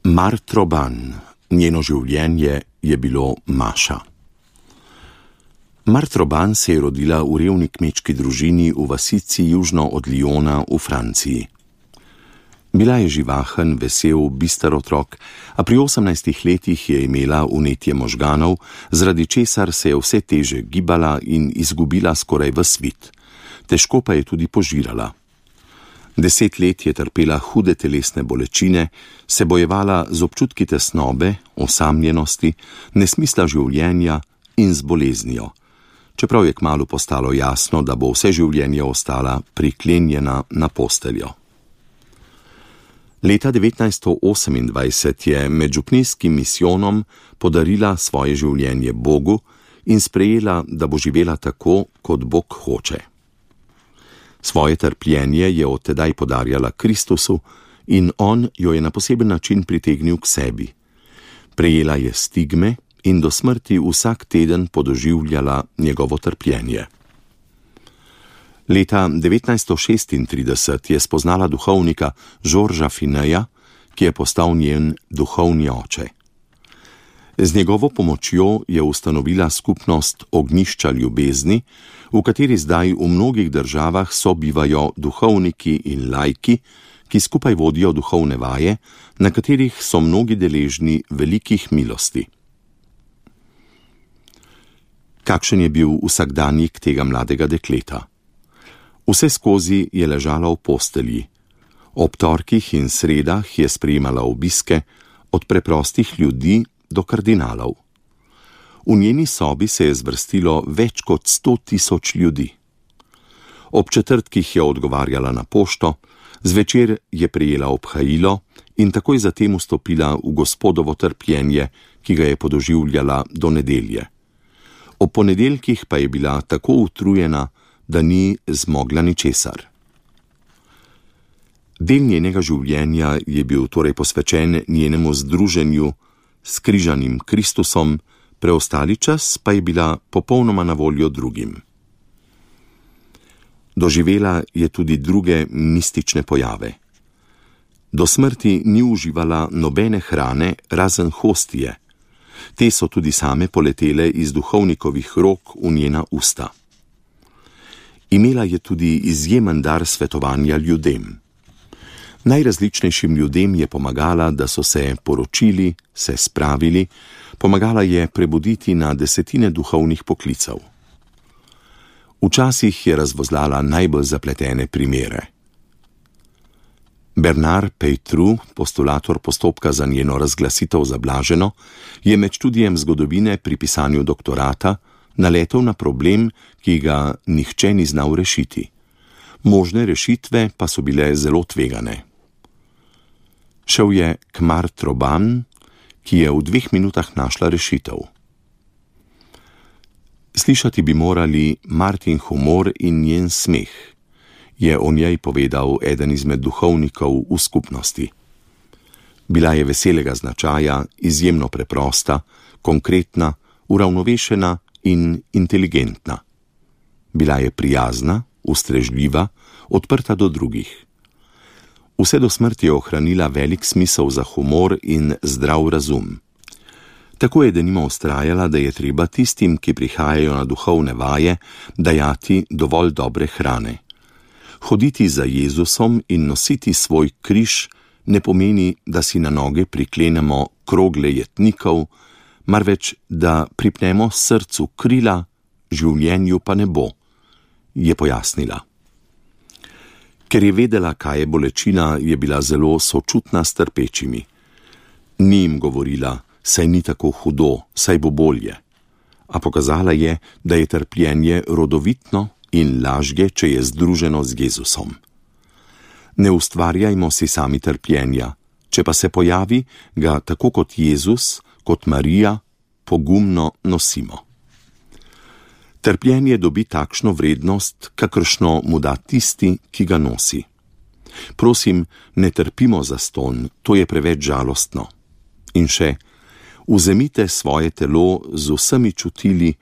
Martha Ban, njeno življenje je bilo maša. Martha Ban se je rodila v revni kmečki družini v vasici južno od Lyona v Franciji. Bila je živahen, vesel, bister otrok, a pri 18 letih je imela vnetje možganov, zaradi česar se je vse teže gibala in izgubila skoraj ves vid. Težko pa je tudi požirala. 10 let je trpela hude telesne bolečine, se bojevala z občutki tesnobe, osamljenosti, nesmisla življenja in z boleznijo, čeprav je kmalu postalo jasno, da bo vse življenje ostala priklenjena na posteljo. Leta 1928 je med župnijskim misijonom podarila svoje življenje Bogu in sprejela, da bo živela tako, kot Bog hoče. Svoje trpljenje je od tedaj podarjala Kristusu in on jo je na poseben način pritegnil k sebi. Prejela je stigme in do smrti vsak teden podoživljala njegovo trpljenje. Leta 1936 je spoznala duhovnika Georgesa Fineja, ki je postal njen duhovni oče. Z njegovo pomočjo je ustanovila skupnost Ognjišča ljubezni, v kateri zdaj v mnogih državah sobivajo duhovniki in laiki, ki skupaj vodijo duhovne vaje, na katerih so mnogi deležni velikih milosti. Kakšen je bil vsakdanjik tega mladega dekleta? Vse skozi je ležala v postelji. Ob torkih in sredah je sprejemala obiske od preprostih ljudi do kardinalov. V njeni sobi se je zvrstilo več kot 100.000 ljudi. Ob četrtkih je odgovarjala na pošto, zvečer je prejela obhajilo in takoj zatem vstopila v Gospodovo trpljenje, ki ga je podoživljala do nedelje. Ob ponedeljkih pa je bila tako utrujena, da ni zmogla ničesar. Del njenega življenja je bil torej posvečen njenemu združenju s križanim Kristusom, preostali čas pa je bila popolnoma na voljo drugim. Doživela je tudi druge mistične pojave. Do smrti ni uživala nobene hrane razen hostije. Te so tudi same poletele iz duhovnikovih rok v njena usta. Imela je tudi izjemen dar svetovanja ljudem. Najrazličnejšim ljudem je pomagala, da so se poročili, se spravili, pomagala je prebuditi na desetine duhovnih poklicev. Včasih je razvozlala najbolj zapletene primere. Bernard Peytrou, postulator postopka za njeno razglasitev za blaženo, je med študijem zgodovine pri pisanju doktorata naletel na problem, ki ga nihče ni znal rešiti. Možne rešitve pa so bile zelo tvegane. Šel je k Martha Ban, ki je v 2 minutah našla rešitev. Slišati bi morali Martin humor in njen smeh, je o njej povedal eden izmed duhovnikov v skupnosti. Bila je veselega značaja, izjemno preprosta, konkretna, uravnovešena in inteligentna. Bila je prijazna, ustrežljiva, odprta do drugih. Vse do smrti je ohranila velik smisel za humor in zdrav razum. Tako je denimo vztrajala, da je treba tistim, ki prihajajo na duhovne vaje, dajati dovolj dobre hrane. Hoditi za Jezusom in nositi svoj križ ne pomeni, da si na noge priklenemo krogle jetnikov, marveč da pripnemo srcu krila, življenju pa ne bo, je pojasnila. Ker je vedela, kaj je bolečina, je bila zelo sočutna s trpečimi. Ni jim govorila, saj ni tako hudo, saj bo bolje. A pokazala je, da je trpljenje rodovitno in lažje, če je združeno z Jezusom. Ne ustvarjajmo si sami trpljenja, če pa se pojavi, ga tako kot Jezus, kot Marija, pogumno nosimo. Trpljenje dobi takšno vrednost, kakršno mu da tisti, ki ga nosi. Prosim, ne trpimo zastonj, to je preveč žalostno. In še, vzemite svoje telo z vsemi čutili,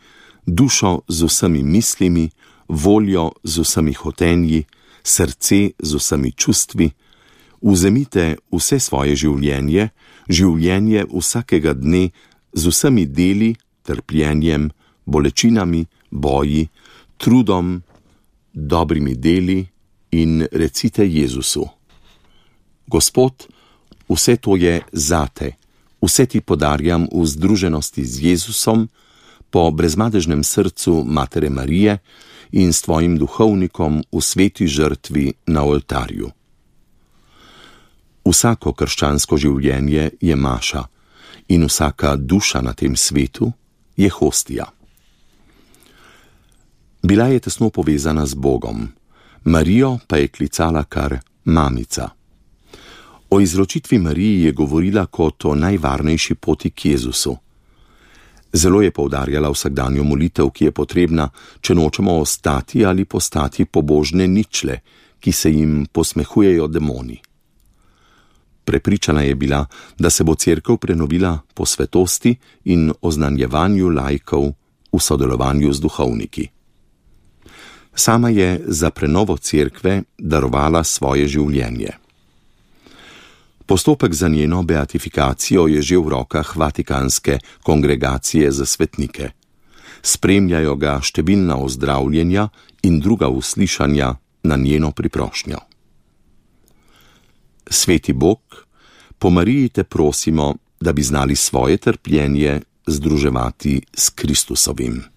dušo z vsemi mislimi, voljo z vsemi hotenji, srce z vsemi čustvi, Vzemite vse svoje življenje, življenje vsakega dne z vsemi deli, trpljenjem, bolečinami, boji, trudom, dobrimi deli in recite Jezusu: Gospod, vse to je zate, vse ti podarjam v združenosti z Jezusom, po brezmadežnem srcu Matere Marije in s tvojim duhovnikom v sveti žrtvi na oltarju. Vsako krščansko življenje je maša in vsaka duša na tem svetu je hostija. Bila je tesno povezana z Bogom, Marijo pa je klicala kar mamica. O izročitvi Mariji je govorila kot o najvarnejši poti k Jezusu. Zelo je poudarjala vsakdanjo molitev, ki je potrebna, če nočemo ostati ali postati pobožne ničle, ki se jim posmehujejo demoni. Prepričana je bila, da se bo cerkev prenovila po svetosti in oznanjevanju laikov v sodelovanju z duhovniki. Sama je za prenovo cerkve darovala svoje življenje. Postopek za njeno beatifikacijo je že v rokah Vatikanske kongregacije za svetnike. Spremljajo ga številna ozdravljenja in druga uslišanja na njeno priprošnjo. Sveti Bog, po Mariji te prosimo, da bi znali svoje trpljenje združevati s Kristusovim.